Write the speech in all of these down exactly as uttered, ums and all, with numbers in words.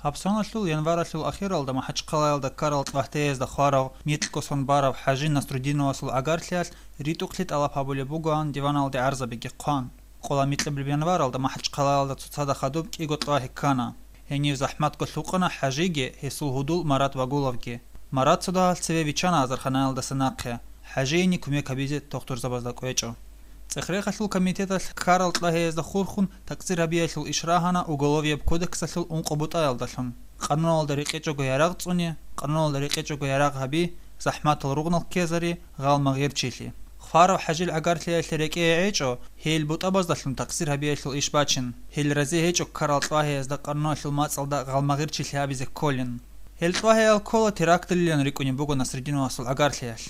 Гьабсаналъул январалъул ахиралда МахӀачхъалаялда ккарал ТӀлагьтеязда хварав, микьго сон барав ХӀажи Насруддиновасул гӀагарлъиялъ ритӀухълъи тӀалаб гьабулеб бугоан диваналде гӀарзабиги хъван. Къола микьабилеб январалда МахӀачхъалаялда цоцазда хадуб кӀиго тӀлагьи ккана. Гьенив захӀматго лъукъана ХӀажиги, гьесул гьудул Марат Вагуловги. Марат цо дагьал цеве виччана азарханаялдаса нахъе, ХӀажиеги кумек гьабизе тухтурзабазда кӀвечӀо. ЦӀехрехалъул комитеталъ ккарал тӀлагьеязда хурхун такъсир гьабиялъул иш рагьана Уголовияб кодексалъул ункъо бутӀаялдалъун: къануналда рекъечӀого ярагъ цӀуни, къануналда рекъечӀого ярагъ гьаби, захӀматал ругънал ккезари, гъалмагъирчилъи. Хварав ХӀажил гӀагарлъиялъе рекӀее гӀечӀо, гьел бутӀабаздалъун такъсир гьабиялъул иш бачин, гьел разе гьечӀо ккарал тӀлагьеязда къануналъул мацӀалда гъалмагъирчилъи гьабизе кколин. Гьел тӀлагьеял ккола теракталилан рикӀкӀунеб буго Насруддиновасул гӀагарлъиялъ.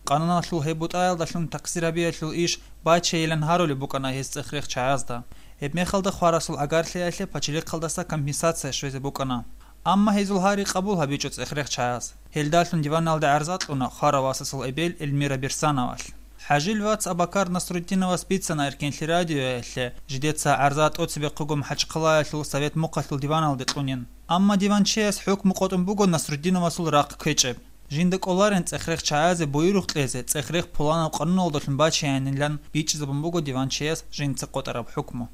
Къануналъул гьеб бутӀаялдалъун такъсир гьабиялъул иш бачейилан гьарулеб букӀана гьез цӀехрех чагӀазда. Гьебмехалда хварасул гӀагарлъиялъе пачалихъалдаса компенсация щвезе букӀана. Амма гьезул гьари къабул гьабичӀо цӀехрех чагӀаз. Гьелдалъун диваналде гӀарза кьуна хварав васасул эбел Эльмира Берсановалъ. ХӀажил вац Абакар Насруддиновас бицана Эркенлъи радиоялъе, жидеца гӀарза тӀоцебехъего МахӀачхъалаялъул Совет Мухъалъул диваналде кьунин. Амма диванчияс хӀукму къотӀун буго Насруддиновасул рахъ кквечӀеб. Жинда кӀоларин цӀехрех чагӀазе буюрухъ кьезе, цӀехрех пуланаб къануналдалъун бачеянилан бичӀчӀизабун буго диванчияс жинца къотӀараб хӀукму.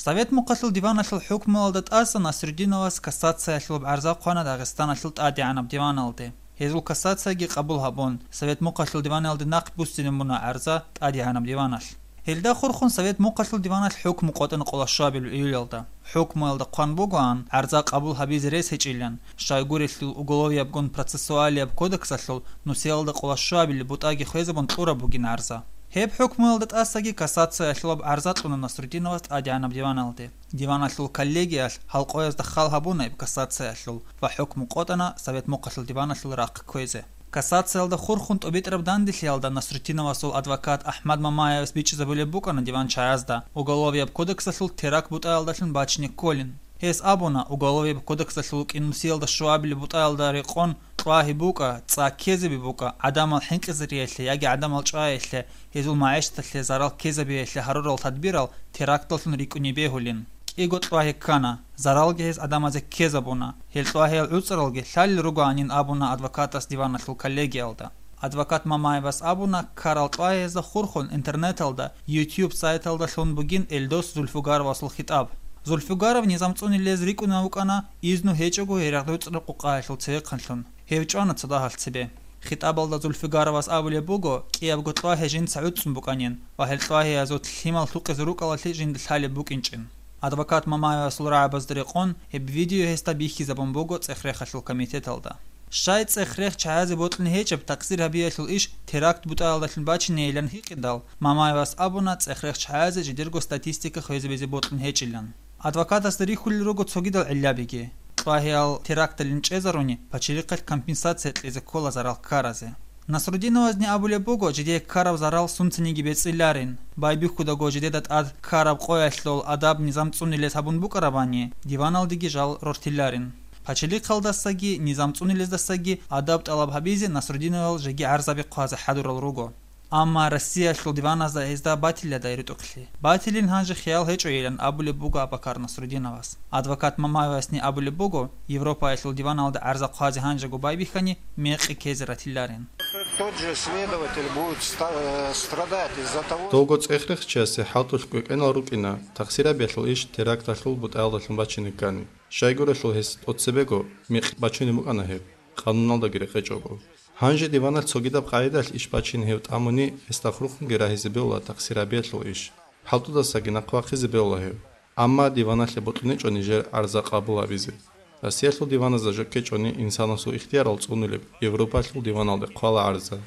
Совет Мухъалъул диваналъул хӀукмуялда тӀаса Насруддиновас кассациялъулаб гӀарза хъвана Дагъистаналъул тӀадегӀанаб диваналде. Гьезул кассацияги къабул гьабун, Совет Мухъалъул диваналде нахъ буссинабуна гӀарза тӀадегӀанаб диваналъ. Гьелда хурхун Совет Мухъалъул диваналъ хӀукму къотӀана къолашуабил июлялда. ХӀукмуялда хъван бугоан гӀарза къабул гьабизе рес гьечӀилан, щайгурелъул Уголовиябгун процессуалияб кодексалъул нусиялда къолашуабили бутӀаги хвезабун кьураб бугин гӀарза. Гьеб хӀукмуялда тӀасаги кассациялъулаб гӀарза кьуна Насруддиновас тӀадегӀанаб диваналде. Диваналъул коллегиялъ гьалкъоязда хал гьабуна гьеб кассациялъул ва хӀукму къотӀана Совет Мухъалъул диваналъул рахъ кквезе. Кассациялда хурхун тӀобитӀараб данделъиялда Насруддиновасул адвокат АхӀмад Мамаевас бичӀчӀизабулеб букӀана диванчагӀазда, Уголовияб кодексалъул теракт бутӀаялдалъун бачине кколин. Гьес абуна, Уголовияб кодексалъул кӀинусиялда щуабилеб бутӀаялда рекъон тӀлагьи букӀа, цӀа ккезаби букӀа, гӀадамал хӀинкъизариялъе яги гӀадамал чӀваялъе, гьезул магӀишаталъе зарал ккезабиялъе гьарурал тадбирал теракталлъун рикӀкӀуни бегьулин. КӀиго тӀлагьи ккана, заралги гьез гӀадамазе ккезабуна. Гьел тӀлагьиял гӀуцӀаралги лъалел ругоанин абуна адвокатас диваналъул коллегиялда. Адвокат Мамаевас абуна, ккарал тӀлагьиязда хурхун интернеталда, YouTube сайталдалъун бугин Эльдос Зульфугаровасул хитӀаб. Зульфугаров низам цӀунилез рикӀкӀунев вукӀана изну гьечӀого гьерагъ гӀуцӀраб къукъаялъул цевехъанлъун. Гьев чӀвана цо дагьалъ цебе. ХитӀабалда Зульфугаровас абулеб буго, кӀиябго тӀлагьи жинца гӀуцӀцӀун букӀанин ва гьел тӀлагьиязул лъимал лъукъизе рукӀалалъе жинда лъалеб букӀинчӀин. Адвокат Мамаевасул рагӀабазда рекъон, гьеб видео гьесда бихьизабун буго цӀехрехалъул комитеталда. Щай цӀехрех чагӀазе бокьун гьечӀеб такъсир гьабиялъул иш теракт бутӀаялдалъун бачинейилан гьикъидал, Мамаевас абуна цӀехрех чагӀазе жидерго статистика хвезабизе бокьун гьечӀилан. Адвокатасда рихьулел руго цогидал гӀиллабиги. ТӀлагьиял теракталин чӀезаруни, пачалихъалъ компенсация кьезе ккола зарал ккаразе. Насруддиновазни абулеб буго, жидее ккараб зарал сунцаниги бецӀиларин, байбихьудаго жидеда тӀад ккараб къоялъул адаб низам цӀунилез гьабун букӀарабани, диваналдеги жал рортиларин. Пачалихъалдасаги низам цӀунилездасаги адаб тӀалаб гьабизе Насруддиновал жеги гӀарзаби хъвазе хӀадурал руго. Амма Россиялъул диваназда гьезда батиладай ритӀухълъи. Батилин гьанже хиял гьечӀойилан абулеб буго Абакар Насруддиновас. Адвокат Мамаевасни абулеб буго, Европаялъул диваналда гӀарза хъвазе гьанжего байбихьани, мекъи ккезе ратиларин. Тот же следователь будет ста-, э, страдать из-за того, что Довго цӀехрехчиясе хӀалтӀулъ кӀвекӀенал рукӀина, такъсир гьабиялъул иш теракталъул бутӀаялдалъун бачине ккани. Щайгурелъул гьес тӀоцебего мекъи бачунеб букӀана гьеб, къануналдаги рекъечӀого. Гьанже диваналъ цогидаб къагӀидалъ иш бачин гьев тӀамуни, гьесда хурхунги рагьизе бегьула такъсир гьабиялъул иш. ХӀалтӀудасаги нахъ вахъизе бегьула гьев. Амма диваналъе бокьунечӀо нижер гӀарза къабул гьабизе. Россиялъул диваназда жо ккечӀони инсанасул ихтиярал цӀунулеб, Европалъул диваналде хъвала гӀарза.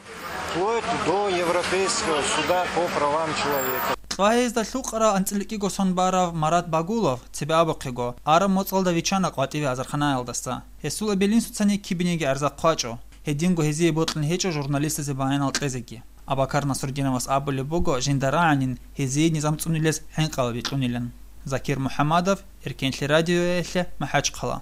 Вплоть до Европейского суда по правам человека. ТӀлагьиязда лъукъарал анцӀила кӀиго сон барав Марат Багулов, цебе абухъего, араб моцӀалда виччана къватӀиве азарханаялдаса. Гьесул эбел-инсуцани кибиниги гӀарза хъвачӀо, гьединго гьезие бокьун гьечӀо журналистазе баянал кьезеги. Абакар Насруддиновас абулеб буго, жинда рагӀанин гьезие низам цӀунилез хӀинкъи бикьунилан. Закир МухӀамадов, Эркенлъи радиоялъе, МахӀачхъала.